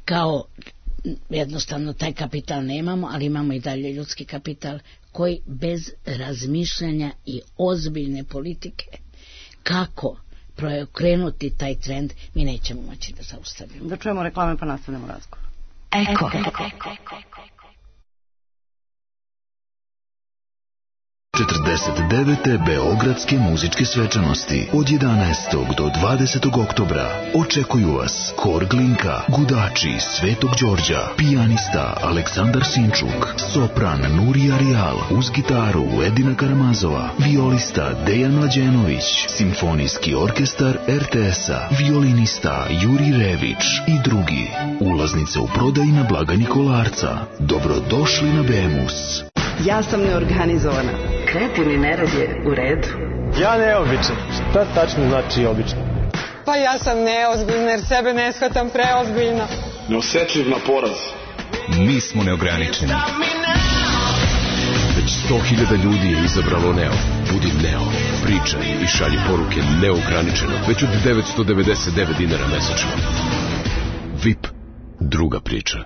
[SPEAKER 2] kao jednostavno taj kapital nemamo, ali imamo i dalje ljudski kapital koji bez razmišljanja i ozbiljne politike kako preokrenuti taj trend mi nećemo moći da zaustavimo.
[SPEAKER 5] Da čujemo reklame pa nastavljamo razgovor.
[SPEAKER 3] Eko. Eko.
[SPEAKER 7] četrdeset devete Beogradske muzičke svečanosti od jedanaestog do dvadesetog oktobra očekuju vas Hor Glinka, Gudači Svetog Đorđa, pijanista Aleksandar Sinčuk, sopran Nurija Rijal, uz gitaru Edina Karamazova, violista Dejan Mlađenović, simfonijski orkestar er te es-a, violinista Juri Rević i drugi. Ulaznice u prodaji na blagajni Kolarca. Dobrodošli na Bemus.
[SPEAKER 8] Ja sam neorganizovana. Kreativni nerad je u redu.
[SPEAKER 9] Ja neobičan. Šta tačno znači obično?
[SPEAKER 10] Pa ja sam neozbiljna jer sebe ne shvatam preozbiljno.
[SPEAKER 11] Neosetljiv na poraz.
[SPEAKER 12] Mi smo neograničeni. Već sto hiljada ljudi je izabralo Neo. Budi Neo. Pričaj i šalji poruke neograničeno. Već od devetsto devedeset devet dinara mesečno. V I P. Druga priča.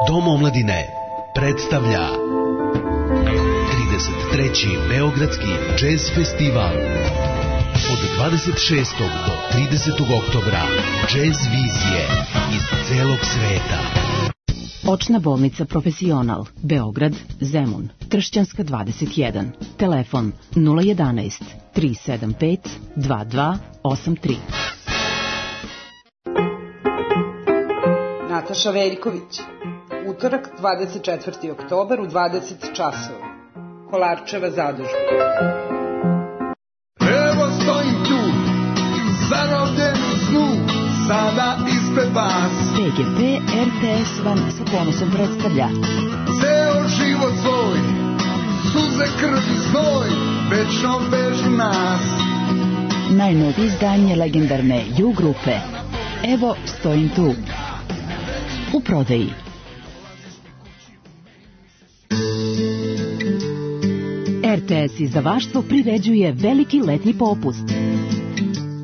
[SPEAKER 13] Dom omladine predstavlja trideset treći Beogradski džez festival. Od dvadeset šestog do tridesetog oktobra džez vizije iz celog sveta.
[SPEAKER 14] Očna bolnica Profesional, Beograd, Zemun, Tršćanska dvadeset jedan. Telefon nula jedanaest tri sedam pet dva dva osam tri.
[SPEAKER 15] Nataša Veljković. Utorak, dvadeset četvrti oktobar u dvadeset časova. Kolarčeva zadužba.
[SPEAKER 6] Evo stojim tu, zarobljen u snu, sada ispred vas.
[SPEAKER 14] P G P R T S vam sa ponosom predstavlja
[SPEAKER 6] Ceo život svoj, suze, krv i znoj, večno vežu nas.
[SPEAKER 14] najnovije izdanje legendarne U grupe Evo stojim tu. U prodaji. R T S izdavaštvo priređuje veliki letnji popust.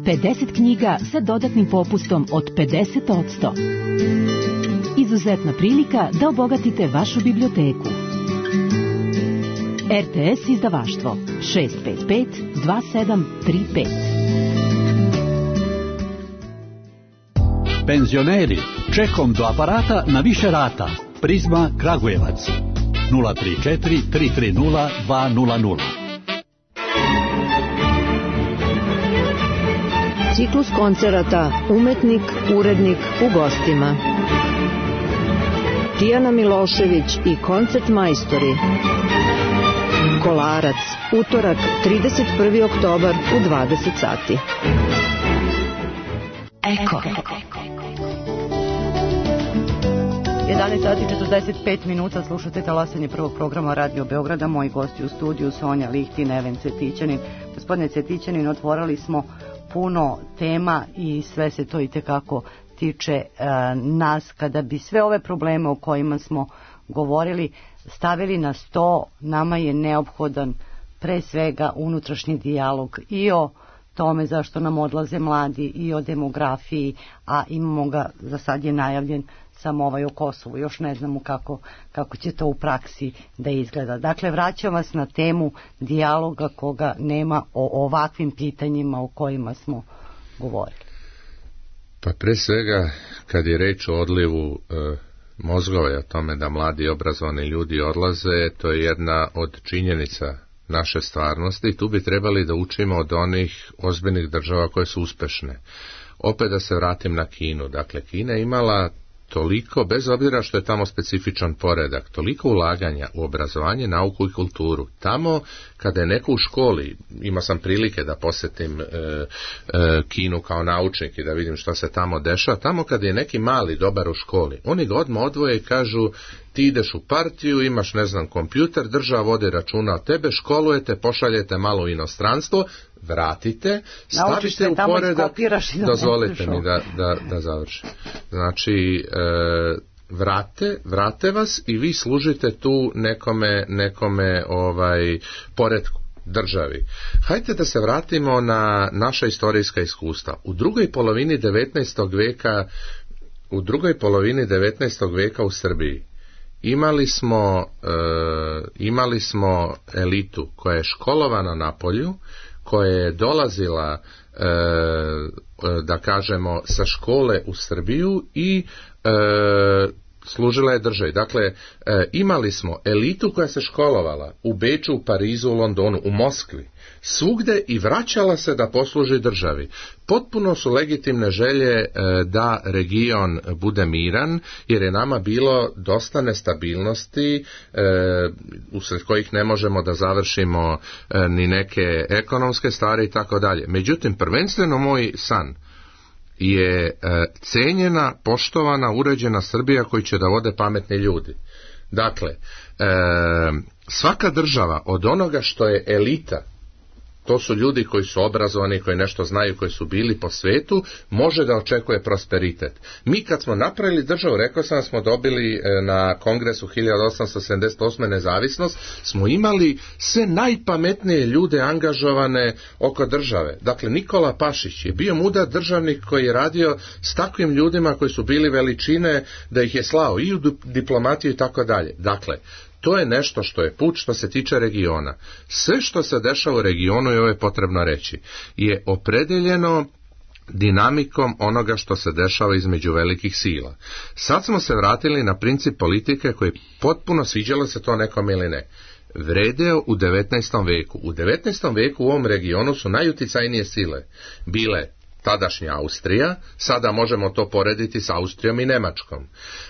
[SPEAKER 14] pedeset knjiga sa dodatnim popustom od pedeset posto. Izuzetna prilika da obogatite vašu biblioteku. R T S izdavaštvo šest pet pet dva sedam tri pet.
[SPEAKER 16] Penzioneri, čekom do aparata na više rata. Prizma Kragujevac nula tri četiri tri tri nula dva nula nula.
[SPEAKER 17] Ciklus koncerata Umetnik, urednik u gostima. Tijana Milošević i koncert majstori. Kolarac, utorak, trideset prvi oktobar u dvadeset sati.
[SPEAKER 14] Eko.
[SPEAKER 5] jedanaest sati i četrdeset pet minuta, slušate talasanje prvog programa Radio Beograda. Moji gosti u studiju Sonja Lihtin, Neven Cetićanin. Gospodine Cetićanin, otvorili smo puno tema i sve se to i tekako tiče e, nas. Kada bi sve ove probleme o kojima smo govorili stavili na sto, nama je neophodan pre svega unutrašnji dijalog i o tome zašto nam odlaze mladi i o demografiji, a imamo ga, za sad je najavljen samo ovaj o Kosovu, još ne znamo kako, kako će to u praksi da izgleda. Dakle, vraćam vas na temu dijaloga koga nema o ovakvim pitanjima o kojima smo govorili.
[SPEAKER 4] Pa pre svega, kad je reč o odlivu e, mozgova i o tome da mladi obrazovani ljudi odlaze, to je jedna od činjenica naše stvarnosti i tu bi trebali da učimo od onih ozbiljnih država koje su uspešne. Opet da se vratim na Kinu. Dakle, Kina je imala toliko, bez obzira što je tamo specifičan poredak, toliko ulaganja u obrazovanje, nauku i kulturu. Tamo, kada je neko u školi, imao sam prilike da posjetim e, e, Kinu kao naučnik i da vidim šta se tamo dešava, tamo kada je neki mali dobar u školi, oni ga odmah odvoje i kažu, ti ideš u partiju, imaš, ne znam, kompjuter, država vodi računa o tebe, školujete, pošaljete malo u inostranstvo, vratite, stavite u poredak, dozvolite mi da, da, da završim. Znači, e, vrate, vrate vas i vi služite tu nekome, nekome ovaj, poretku, državi. Hajde da se vratimo na naša istorijska iskustva. U drugoj polovini devetnaestog veka, u drugoj polovini devetnaestog veka u Srbiji imali smo, e, imali smo elitu koja je školovana na polju, koja je dolazila, e, da kažemo, sa škole u Srbiju i e, služila je državi. Dakle, e, imali smo elitu koja se školovala u Beču, u Parizu, u Londonu, u Moskvi, svugde i vraćala se da posluži državi. Potpuno su legitimne želje e, da region bude miran, jer je nama bilo dosta nestabilnosti, e, usred kojih ne možemo da završimo e, ni neke ekonomske stvari i tako dalje. Međutim, prvenstveno moj san je e, cenjena, poštovana, uređena Srbija koji će da vode pametni ljudi. Dakle, e, svaka država od onoga što je elita, to su ljudi koji su obrazovani, koji nešto znaju, koji su bili po svetu, može da očekuje prosperitet. Mi kad smo napravili državu, rekao sam da smo dobili na kongresu hiljadu osamsto sedamdeset osme nezavisnost, smo imali sve najpametnije ljude angažovane oko države. Dakle, Nikola Pašić je bio mudar državnik koji je radio s takvim ljudima koji su bili veličine, da ih je slao i u diplomatiju i tako dalje. Dakle, to je nešto što je put što se tiče regiona. Sve što se dešava u regionu, i ovo je potrebno reći, je opredeljeno dinamikom onoga što se dešava između velikih sila. Sad smo se vratili na princip politike koji potpuno, sviđalo se to nekom ili ne. vredeo u devetnaestom veku. U devetnaestom veku u ovom regionu su najuticajnije sile bile tadašnja Austrija, sada možemo to porediti s Austrijom i Nemačkom.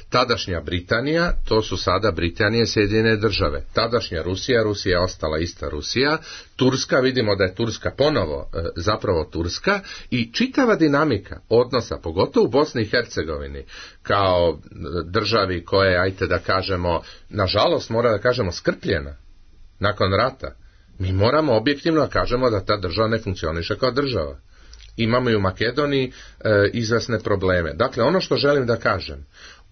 [SPEAKER 4] Tadašnja Britanija, to su sada Britanije i Sjedinjene države. Tadašnja Rusija, Rusija je ostala ista Rusija. Turska, vidimo da je Turska ponovo e, zapravo Turska i čitava dinamika odnosa, pogotovo u Bosni i Hercegovini, kao državi koja je, ajte da kažemo, nažalost mora da kažemo skrpljena nakon rata. Mi moramo objektivno da kažemo da ta država ne funkcioniše kao država. Imamo i u Makedoniji e, izvesne probleme. Dakle, ono što želim da kažem,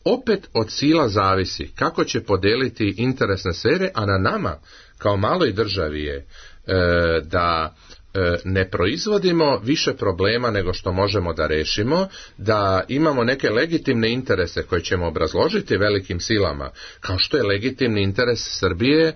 [SPEAKER 4] opet od sila zavisi kako će podeliti interesne sfere, a na nama kao maloj državi je e, da e, ne proizvodimo više problema nego što možemo da rešimo, da imamo neke legitimne interese koje ćemo obrazložiti velikim silama, kao što je legitimni interes Srbije e,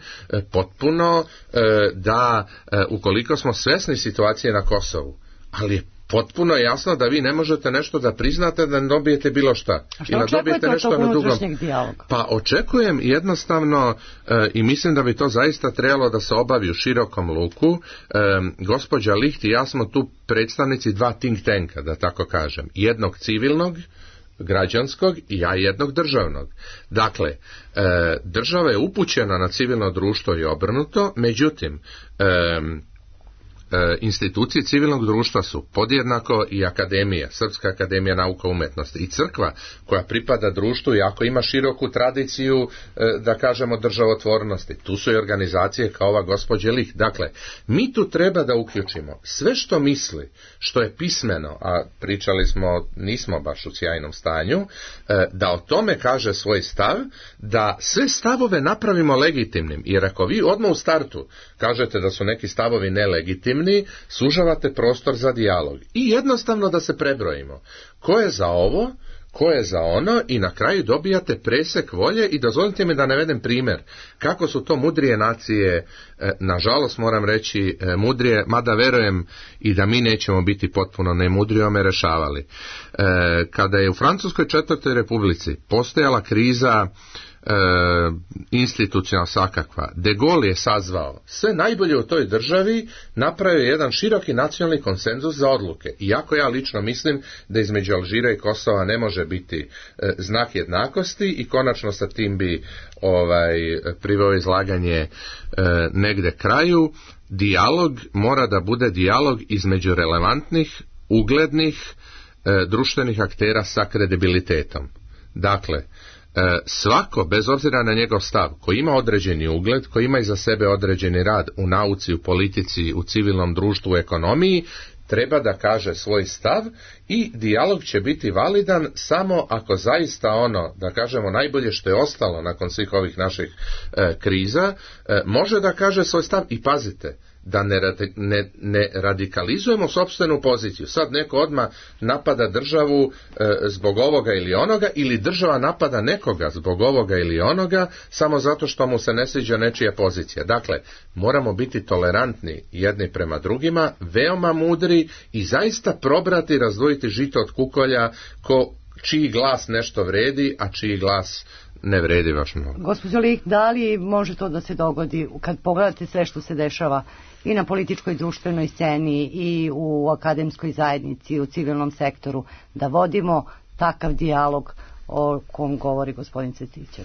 [SPEAKER 4] potpuno e, da e, ukoliko smo svesni situacije na Kosovu, ali je potpuno je jasno da vi ne možete nešto da priznate da ne dobijete bilo šta.
[SPEAKER 5] A što očekujete od tog unutrašnjeg dijaloga?
[SPEAKER 4] Pa očekujem jednostavno e, i mislim da bi to zaista trebalo da se obavi u širokom luku. E, gospođa Licht i ja smo tu predstavnici dva think tanka, da tako kažem. Jednog civilnog, građanskog i ja jednog državnog. Dakle, e, država je upućena na civilno društvo i obrnuto, međutim, e, E, institucije civilnog društva su podjednako i akademija, Srpska akademija nauka i umetnosti i crkva koja pripada društvu i ako ima široku tradiciju e, da kažemo državotvornosti. Tu su i organizacije kao ova gospođe Licht. Dakle, mi tu treba da uključimo sve što misli, što je pismeno, a pričali smo, nismo baš u sjajnom stanju, e, da o tome kaže svoj stav, da sve stavove napravimo legitimnim, jer ako vi odmah u startu kažete da su neki stavovi nelegitimni, sužavate prostor za dijalog i jednostavno da se prebrojimo ko je za ovo, ko je za ono i na kraju dobijate presek volje i dozvolite mi da navedem primjer kako su to mudrije nacije, e, nažalost moram reći e, mudrije, mada verujem i da mi nećemo biti potpuno nemudrijome rešavali. E, kada je u Francuskoj četvrtoj republici postojala kriza E, institucionalna svakakva, De Gaulle je sazvao sve najbolje u toj državi, napravio jedan široki nacionalni konsenzus za odluke. Iako ja lično mislim da između Alžira i Kosova ne može biti e, znak jednakosti i konačno sa tim bi ovaj, priveo izlaganje e, negde kraju. Dijalog mora da bude dijalog između relevantnih, uglednih e, društvenih aktera sa kredibilitetom. Dakle, svako, bez obzira na njegov stav, koji ima određeni ugled, koji ima iza sebe određeni rad u nauci, u politici, u civilnom društvu, u ekonomiji, treba da kaže svoj stav i dijalog će biti validan samo ako zaista ono, da kažemo, najbolje što je ostalo nakon svih ovih naših e, kriza, e, može da kaže svoj stav i pazite, da ne, ne, ne radikalizujemo sopstvenu poziciju. Sad neko odmah napada državu e, zbog ovoga ili onoga, ili država napada nekoga zbog ovoga ili onoga, samo zato što mu se ne sviđa nečija pozicija. Dakle, moramo biti tolerantni jedni prema drugima, veoma mudri i zaista probrati, razdvojiti žito od kukolja, ko, čiji glas nešto vredi, a čiji glas ne vredi baš mnogo.
[SPEAKER 5] Gospođo Licht, da li može to da se dogodi kad pogledate sve što se dešava i na političkoj društvenoj sceni i u akademskoj zajednici i u civilnom sektoru, da vodimo takav dijalog o kom govori gospodin Cvetićev?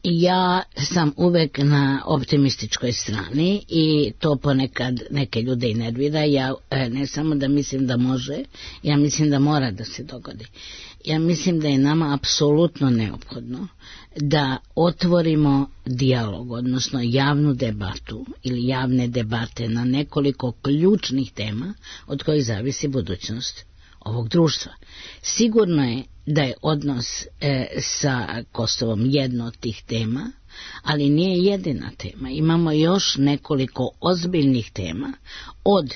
[SPEAKER 2] Ja sam uvek na optimističkoj strani i to ponekad neke ljude i nervira. Ja ne samo da mislim da može, ja mislim da mora da se dogodi. Ja mislim da je nama apsolutno neophodno da otvorimo dijalog, odnosno javnu debatu ili javne debate na nekoliko ključnih tema od kojih zavisi budućnost ovog društva. Sigurno je da je odnos e, sa Kosovom jedno od tih tema, ali nije jedina tema. Imamo još nekoliko ozbiljnih tema od,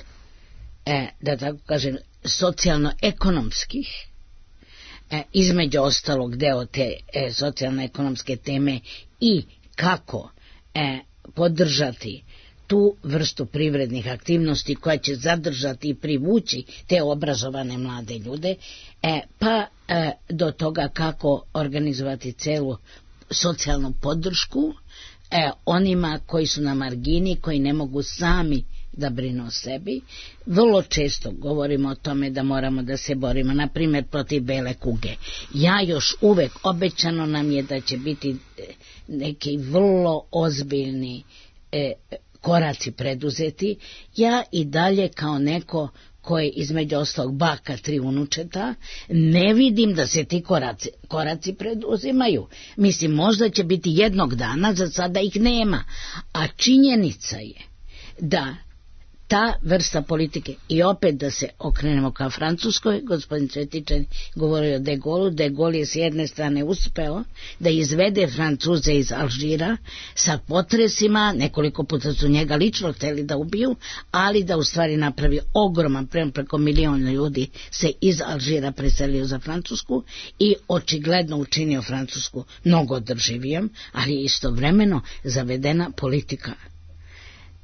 [SPEAKER 2] e, da tako kažem, socijalno-ekonomskih, e, između ostalog deo te e, socijalno-ekonomske teme i kako e, podržati tu vrstu privrednih aktivnosti koja će zadržati i privući te obrazovane mlade ljude, e, pa e, do toga kako organizovati celu socijalnu podršku e, onima koji su na margini, koji ne mogu sami da brinu o sebi. Vrlo često govorimo o tome da moramo da se borimo, na primjer protiv bele kuge. Ja još uvek, obećano nam je da će biti neki vrlo ozbiljni e, koraci preduzeti. Ja i dalje kao neko koje između ostalog baka tri unučeta, ne vidim da se ti koraci, koraci preduzimaju. Mislim, možda će biti jednog dana, za sada ih nema. A činjenica je da ta vrsta politike, i opet da se okrenemo ka Francuskoj, gospodin Cvetičan govorio o De Gauleu, De Gaulle je s jedne strane uspeo da izvede Francuze iz Alžira sa potresima, nekoliko puta su njega lično hteli da ubiju, ali da u stvari napravi ogroman prema preko miliona ljudi se iz Alžira preselio za Francusku i očigledno učinio Francusku mnogo održivijom, ali istovremeno zavedena politika.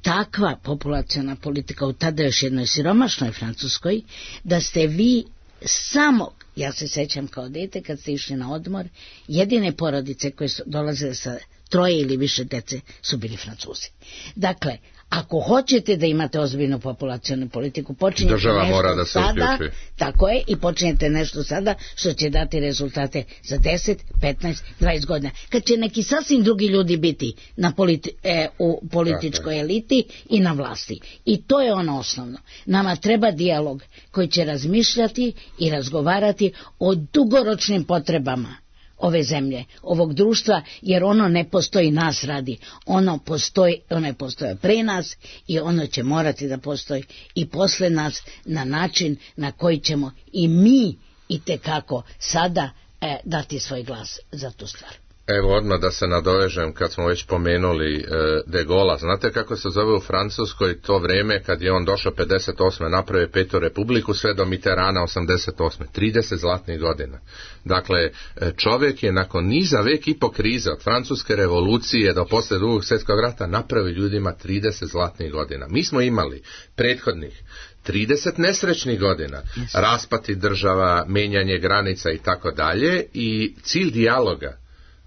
[SPEAKER 2] Takva populaciona politika u tada još jednoj siromašnoj Francuskoj, da ste vi samo, ja se sećam kao dete kad ste išli na odmor, jedine porodice koje su dolazile sa troje ili više dece su bili Francuzi. Dakle, ako hoćete da imate ozbiljnu populacionu politiku, počinjete
[SPEAKER 4] država
[SPEAKER 2] nešto
[SPEAKER 4] mora da se
[SPEAKER 2] sada,
[SPEAKER 4] uključi.
[SPEAKER 2] tako je, i počinjete nešto sada što će dati rezultate za deset, petnaest, dvadeset godina. Kad će neki sasvim drugi ljudi biti na politi, e, u političkoj eliti i na vlasti. I to je ono osnovno. Nama treba dijalog koji će razmišljati i razgovarati o dugoročnim potrebama ove zemlje, ovog društva, jer ono ne postoji nas radi, ono postoji, ono je postoje pre nas i ono će morati da postoji i posle nas na način na koji ćemo i mi i tekako sada e, dati svoj glas za tu stvar.
[SPEAKER 4] Evo odmah da se nadovežem kad smo već pomenuli e, De Gaulea. Znate kako se zove u Francuskoj to vreme kad je on došao pedeset osme napravio petu republiku sve do Mitterranda osamdeset osme trideset zlatnih godina. Dakle, čovjek je nakon niza vek i po krize od francuske revolucije do posle drugog svjetskog rata napravio ljudima trideset zlatnih godina. Mi smo imali prethodnih trideset nesrećnih godina, raspati država, menjanje granica i tako dalje, i cilj dijaloga,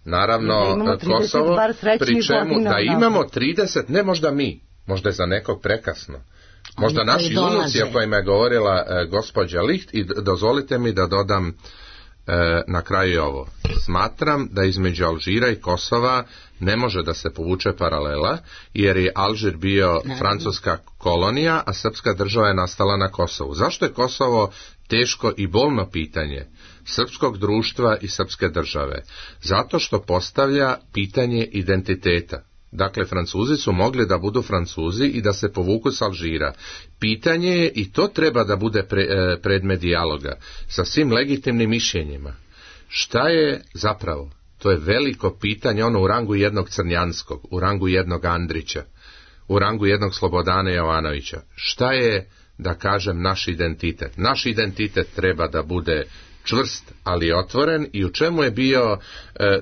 [SPEAKER 4] naravno Kosovo, pri čemu da imamo trideset, ne možda mi, možda je za nekog prekasno, možda naši unuci o kojima je govorila e, gospođa Licht, i dozvolite mi da dodam e, na kraju ovo. Smatram da između Alžira i Kosova ne može da se povuče paralela, jer je Alžir bio francuska kolonija, a srpska država je nastala na Kosovu. Zašto je Kosovo teško i bolno pitanje srpskog društva i srpske države? Zato što postavlja pitanje identiteta. Dakle, Francuzi su mogli da budu Francuzi i da se povuku s Alžira. Pitanje je, i to treba da bude pre, e, predmet dijaloga, sa svim legitimnim mišljenjima. Šta je zapravo? To je veliko pitanje, ono u rangu jednog Crnjanskog, u rangu jednog Andrića, u rangu jednog Slobodana Jovanovića. Šta je, da kažem, naš identitet? Naš identitet treba da bude čvrst, ali otvoren, i u čemu je bio,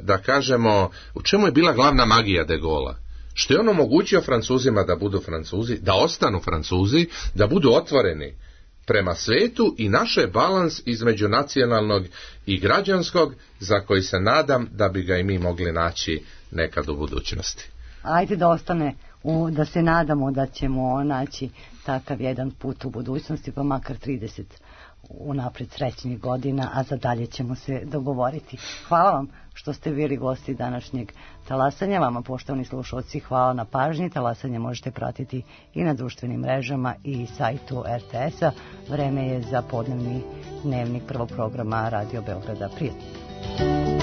[SPEAKER 4] da kažemo, u čemu je bila glavna magija De Gaulea? Što je on omogućio Francuzima da budu Francuzi, da ostanu Francuzi, da budu otvoreni prema svetu, i naše balans između nacionalnog i građanskog, za koji se nadam da bi ga i mi mogli naći nekad u budućnosti.
[SPEAKER 5] Ajde da ostane, u, da se nadamo da ćemo naći takav jedan put u budućnosti, pa makar trideset unapred srećnih godina, a za dalje ćemo se dogovoriti. Hvala vam što ste bili gosti današnjeg talasanja. Vama, poštovani slušalci, hvala na pažnji. Talasanje možete pratiti i na društvenim mrežama i sajtu er te es-a. Vreme je za podnevni dnevnik prvog programa Radio Beograda. Prijatno.